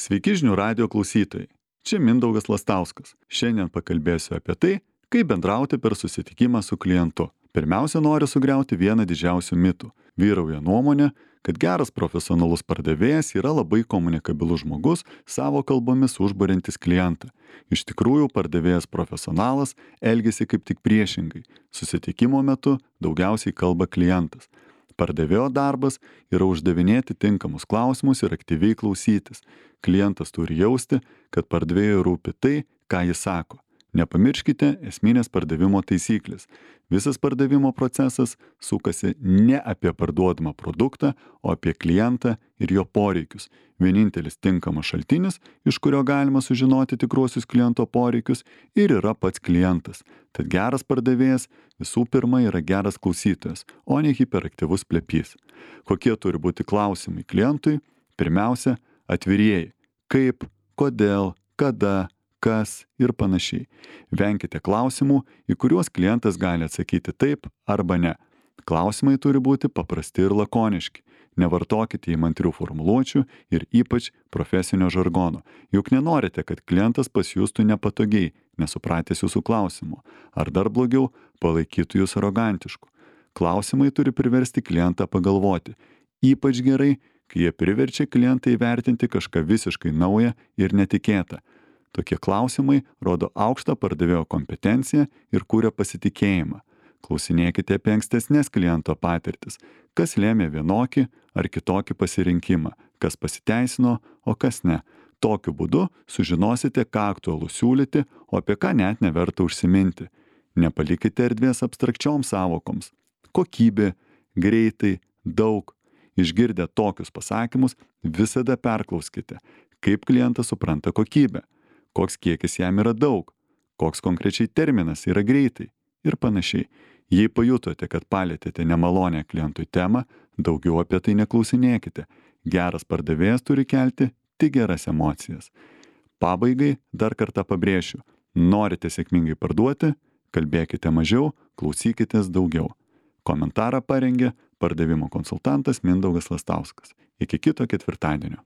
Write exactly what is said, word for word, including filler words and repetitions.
Sveiki žinių radijo klausytojai. Čia Mindaugas Lastauskas. Šiandien pakalbėsiu apie tai, kaip bendrauti per susitikimą su klientu. Pirmiausia, noriu sugriauti vieną didžiausių mitų. Vyrauja nuomonė, kad geras profesionalus pardavėjas yra labai komunikabilus žmogus, savo kalbomis užburiantis klientą. Iš tikrųjų, pardavėjas profesionalas elgiasi kaip tik priešingai. Susitikimo metu daugiausiai kalba klientas. Pardavėjo darbas yra uždavinėti tinkamus klausimus ir aktyviai klausytis. Klientas turi jausti, kad pardavėjui rūpi tai, ką jis sako. Nepamirškite esminės pardavimo taisyklės. Visas pardavimo procesas sukasi ne apie parduodamą produktą, o apie klientą ir jo poreikius. Vienintelis tinkamas šaltinis, iš kurio galima sužinoti tikruosius kliento poreikius, ir yra pats klientas. Tad geras pardavėjas visų pirma yra geras klausytojas, o ne hiperaktyvus plepys. Kokie turi būti klausimai klientui? Pirmiausia, atvirieji. Kaip, kodėl, kada, kas ir panašiai. Venkite klausimų, į kuriuos klientas gali atsakyti taip arba ne. Klausimai turi būti paprasti ir lakoniški. Nevartokite įmantrių formuluočių ir ypač profesinio žargono. Juk nenorite, kad klientas pasijustų nepatogiai, nesupratęs jūsų klausimų. Ar dar blogiau, palaikytų jūs arogantišku. Klausimai turi priversti klientą pagalvoti. Ypač gerai, kai jie priverčia klientą įvertinti kažką visiškai naują ir netikėtą. Tokie klausimai rodo aukštą pardavėjo kompetenciją ir kuria pasitikėjimą. Klausinėkite apie ankstesnės kliento patirtis, kas lėmė vienokį ar kitokį pasirinkimą, kas pasiteisino, o kas ne. Tokiu būdu sužinosite, ką aktualu siūlyti, o apie ką net neverta užsiminti. Nepalikite erdvės abstrakčioms sąvokoms. Kokybė, greitai, daug. Išgirdę tokius pasakymus, visada perklauskite, kaip klientas supranta kokybę, koks kiekis jam yra daug, koks konkrečiai terminas yra greitai ir panašiai. Jei pajutote, kad palėtėte nemalonę klientui temą, daugiau apie tai neklausinėkite. Geras pardavėjas turi kelti tik geras emocijas. Pabaigai dar kartą pabrėšiu, norite sėkmingai parduoti, kalbėkite mažiau, klausykitės daugiau. Komentarą parengė pardavimo konsultantas Mindaugas Lastauskas. Iki kito ketvirtadienio.